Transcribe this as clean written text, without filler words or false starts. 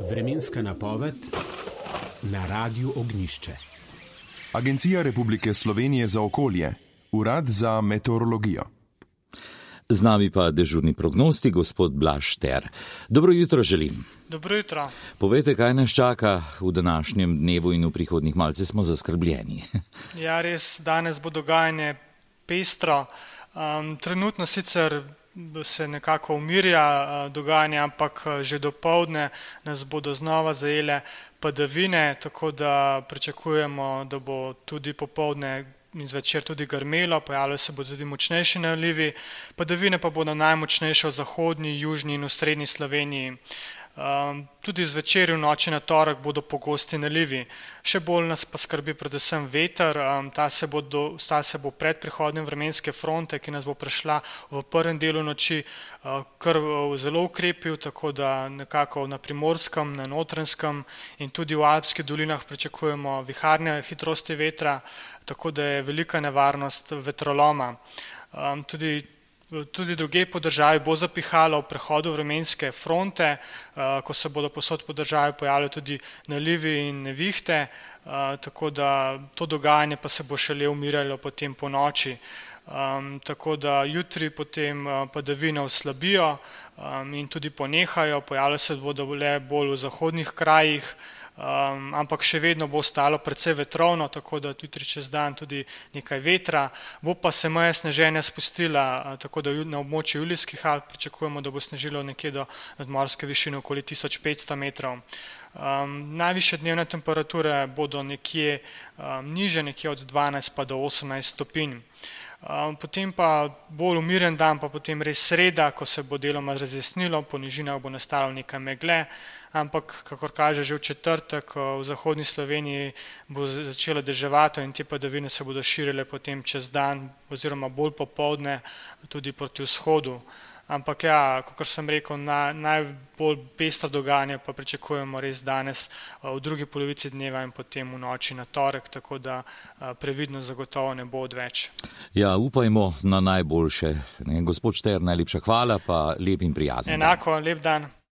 Vremenska napoved na Radiu Ognjišče. Agencija Republike Slovenije za okolje, Urad za meteorologijo. Z nami pa dežurni prognostik, gospod Blaž Šter. Dobro jutro želim. Dobro jutro. Povejte, kaj nas čaka v današnjem dnevu in v prihodnjih, malce smo zaskrbljeni. Ja, res, danes bo dogajanje pestro. Trenutno sicer se nekako umirja dogajanje, ampak že dopoldne nas bodo znova zajele padavine, tako da pričakujemo, da bo tudi popoldne in zvečer tudi grmelo, pojavljajo se bodo tudi močnejši nalivi, padavine pa bodo najmočnejše v zahodni, južni in v srednji Sloveniji. Tudi zvečer in v noči na torek bodo pogosti nalivi. Še bolj nas pa skrbi predvsem veter, ta se bo pred prihodom vremenske fronte, ki nas bo prišla v prvem delu noči, kar zelo ukrepil, tako da nekako na Primorskem, na Notranjskem in tudi v Alpskih dolinah pričakujemo viharne hitrosti vetra, tako da je velika nevarnost vetroloma. Tudi drugje po državi bo zapihalo v prehodu vremenske fronte, ko se bodo povsod po državi pojavljali tudi nalivi in nevihte, tako da to dogajanje pa se bo šele umirjalo potem po noči. Tako da jutri potem padavine oslabijo in tudi ponehajo, pojavljajo se bodo le bolj v zahodnih krajih, ampak še vedno bo ostalo precej vetrovno, tako da jutri čez dan tudi nekaj vetra, bo pa se meja sneženja spustila, tako da na območju Julijskih Alp pričakujemo, da bo snežilo nekje do nadmorske višine okoli 1500 metrov. Najvišje dnevne temperature bodo nekje niže, nekje od 12 pa do 18 stopinj. Potem pa bolj umiren dan, pa potem res sreda, ko se bo deloma razjasnilo, po nižinah bo nastalo nekaj megle, ampak kakor kaže že v četrtek, v zahodni Sloveniji bo začelo deževati in te padavine se bodo širile potem čez dan oziroma bolj popoldne tudi proti vzhodu. Ampak ja, kakor sem rekel, najbolj pestro dogajanje pa pričakujemo res danes v drugi polovici dneva in potem v noči na torek, tako da previdnost zagotovo ne bo odveč. Ja, upajmo na najboljše. Gospod Šter, najlepša hvala, pa lep in prijazen. Enako, lep dan.